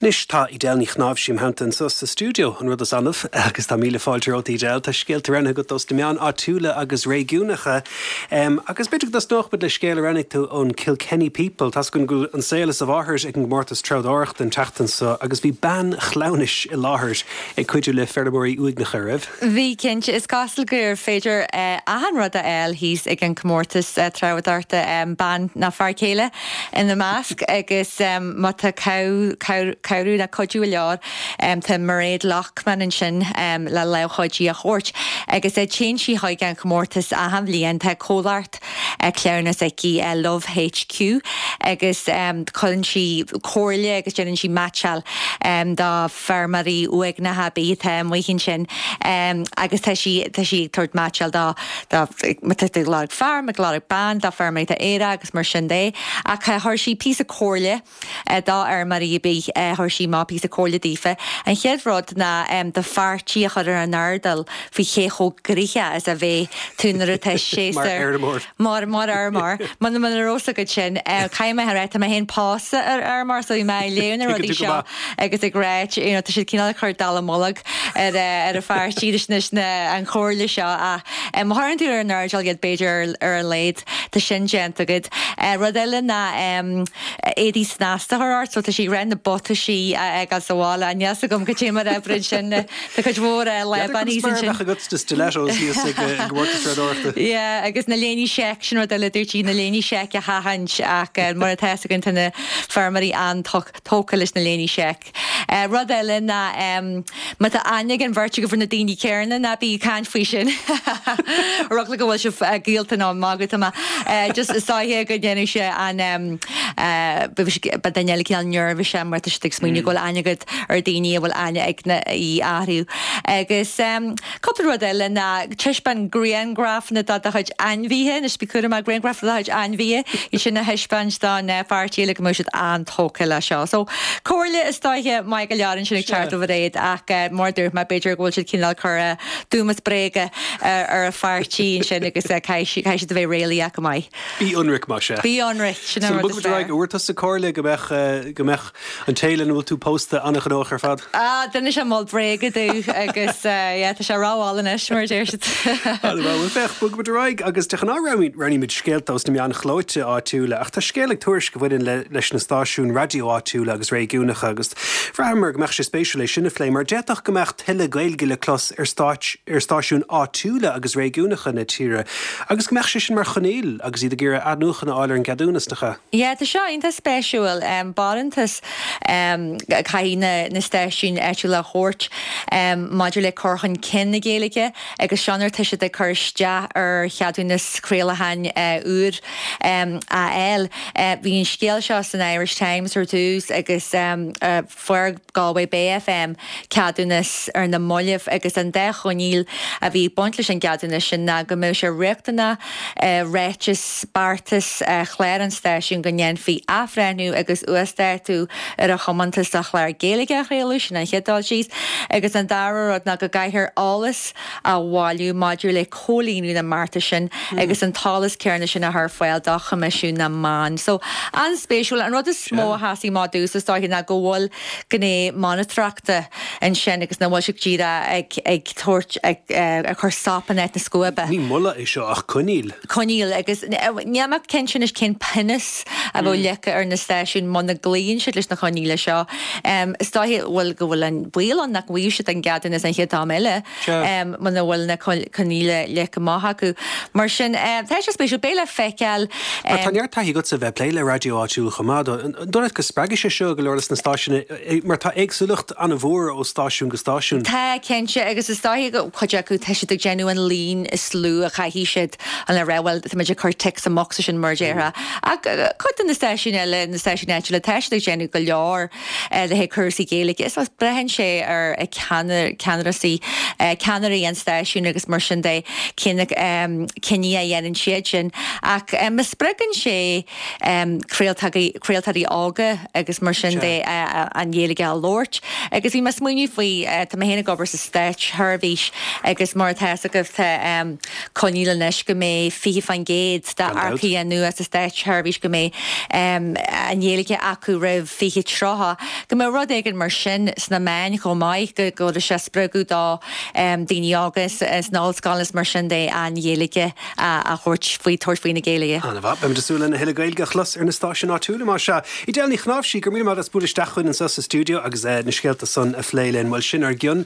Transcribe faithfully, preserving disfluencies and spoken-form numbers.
Anois tá Edel Ní Chnáimhsí im theannta anseo sa stiúideo an rud is annamh agus tá míle fáilte romhat Edel tá scéalta roghnaithe agat dos na meáin áitiúla agus réigiúnacha. Um, agus b'fhéidir go dtosnódh muid le scéal a roghnaigh tú ón Kilkenny People Tá go bhfuil an saol is a mháthair ag an gcomórtas treabhdóireachta an tseachtain seo agus bhí bean chleamhnais i láthair ag cuidiú le feirmeoirí uaigneacha raibh. Bhí cinnte is cosúil gur féidir uh, achan rud a fháil thíos ag an comórtas uh, treabhdóireachta um, bean ná fear céile ina measc agus um, má tá cabhrú le cuidiú leor um, tá Mairéad Lochman ansin um, le leabhchaidí a thabhairt agus é téann sí chuig an chomórtas achan bhliain tá comhlacht uh, cleamhnais aici uh, Love HQ agus um, cuireann sí comhairle agus déanann sí meaitseáil um, do feirmeoirí uaigneacha bíthe muchin sin um, agus tá sí tá sí ag tabhairt meaitseáil dá dá lorg fear ag lorg bean dá feirmeoirí Éire agus mar sin de ach chuir sí píosa comhairle uh, dá fheirmeoirí bí chuir sí má píosa comhairle daofa. An chéad rud ná um, do pháirtí a chur ar an airdeall faoi ché chomh gnoitheach is a bheidh tú nuair atá sé mar mar mar mar man man rosa go sin cai me rá mé héin pósa ar ar mar so mé léna rudaí seo agus ag rá tá siad cineál chur dallamullóg ar ar a pháirtí na an chomhairle seo a má chuireann tú ar an airdeall iad b'fhéidir ar a laghad tá sin déanta agat. Rud eile ná éadaí snasta a chur ort, so tá sí ren na buataisí ag sála an jas gom go tí mar ebrin sin Tá chuid mhór le sin agat stilettos go Yeah, agus na léine seic sin rud eile dúirt na léine seic a chaitheamh ach mar atá gan na feirmeoirí an-tógtha leis na léine seic. Uh, rud eile ná um, má tá aithne ag an bheirt agaibh ar na daoine céanna ná bí ag caint faoi sin. Rud go bhfuil sibh gaolta ná magadh ma just is dóiche go ndéanadh sé an um, uh, ba duine eile cineál nervous mar tá ag smaoineamh go bhfuil aithne agat ar daoine a bhfuil aithne ag na í orthu. Agus um, cúpla rud eile ná taispeáin grianghrafanna dá do chuid ainmhithe na spicúra mar grianghraf dá chuid ainmhithe i sin a thaispeáint don pháirtí le go mbeadh siad an-tógtha le seo. So comhairle is dóiche maith go leor sin ag teacht ó Mhairéad ach uh, mar dúirt mé b'fhéidir go bhfuil siad cineál chur dúmas bréige ar a pháirtí sin agus caithfidh siad a bheith réalaíoch go maith. Bí ionraic mar sé. Bí ionraic sin an rud is fearr. Bhfuair tusa comhairle go mbeadh go mbeadh an té lena bhfuil tú pósta an-ghnóthach ar fad. Ah, Duine se mol bréige dú agus tá sé rááil anois mar deir siad. Féach bogfaimid ar aghaidh agus de ghnáth roghnaímid scéalta os na meáin chlóite áitiúla ach tá scéal ag Tuairisc a bhaineann leis na stáisiúin raidió áitiúla agus réigiúnacha agus bhraitheamar go mbeadh sé spéisiúil é sin a phlé mar d'fhéadfadh go mbeadh tuilleadh Gaeilge le clos ar stáit ar stáisiúin áitiúla agus réigiúnacha na tíre agus go mbeadh sé sin mar choinníoll agus iad ag iarraidh athnuachan a fháil ar an gceadúnas nach ea. Ja, tá seo iontach spéisiúil um, barántas um, caithfidh na, na stáisiúin áitiúla a thabhairt um, maidir le cur chun cinn na Gaeilge agus seo nuair atá siad ag cur isteach ar cheadúnas craolacháin uh, úr um, a fháil. Uh, bhí an scéal seo san Irish Times ar dtús agus um, uh, fuair Galway Bay FM ceadúnas ar na mallaibh agus an dá choinníoll a bhí baint leis an gceadúnas sin ná go mbeadh sé riachtanach uh, ráiteas beartais uh, chlár an stáisiúin go ndéanfaí athbhreithniú agus uasdátú ar a thiomantas do chláir Gaeilge a chraoladh sin an chéad dul síos agus an dara rud ná go gcaithfear eolas a bhailiú maidir le comhlíonadh na mbeartas sin mm. agus an t-eolas céanna sin a chur ar fáil do Choimisiún na Meán. So an-spéisiúil an rud is mó a sheas amach domhsa is dóiche ná go bhfuil gné monatóireachta ansin agus nach bhfuil siad díreach ag ag tabhairt ag ag chur sop in áit na scuaibe. Ní moladh é seo ach coinníoll. Coinníoll agus níl mé cinnte anois cén pionós a bheadh leagtha ar na stáisiúin muna gcloíonn siad leis na coinníollacha seo. Um, is dóiche bhfuil go bhfuil an baol ann nach bhfaighidh siad an ceadúnas an chéad am eile um, muna bhfuil na coinníollacha leagtha amach acu. Mar sin um, tá sé spéisiúil beidh le feiceáil. Mar tá neart taithí agatsa bheith ag plé le raidió áitiúil chomh maith an dóigh leat go spreagfaidh sé seo go leor leis na stáisiúin mar tá éagsúlacht an-mhór ó stáisiún go stáisiún. Tá cinnte agus is dóiche go cuid acu tá siad ag déanamh an líon is lú a chaithfidh siad an le rá bhuel tá muid ag cur tic sa mbocsa sin mar a déarfá. Ach cuid de na stáisiúin eile na stáisiúin áitiúla tá siad ag déanamh go leor le haghaidh cúrsaí Gaeilge. Is braitheann sé ar ceannairí ceannairí an stáisiúin agus mar sin de cé na cinntí a dhéanann siad sin. Ach má spreagann sé craoltóirí óga agus mar sin de an Ghaeilge a labhairt. Agus bhí mé ag smaoineamh faoi tá mé féin ag obair sa státseirbhís agus mar atá agaibh tá coinníoll anois go mbeidh fiche faoin gcéad d'earcaithe nua sa státseirbhís go mbeidh an Ghaeilge acu roimh fiche tríocha, go mbeidh rud éigin mar sin sna meáin chomh maith go go sé spreagadh do daoine óga sna hollscoileanna is mar sin de an Ghaeilge a thabhairt faoi tabhairt faoi na Gaeilge. An-mhaith beimid ag súil lena thuilleadh Gaeilge a chlos ar na stáisiúin áitiúla mar seo. Edel Ní Chnáimhsí gur mí mar as bualadh isteach chugainn anseo sa stiúideo agus na scéalta san a phlé linn, bhuel sin ár gcion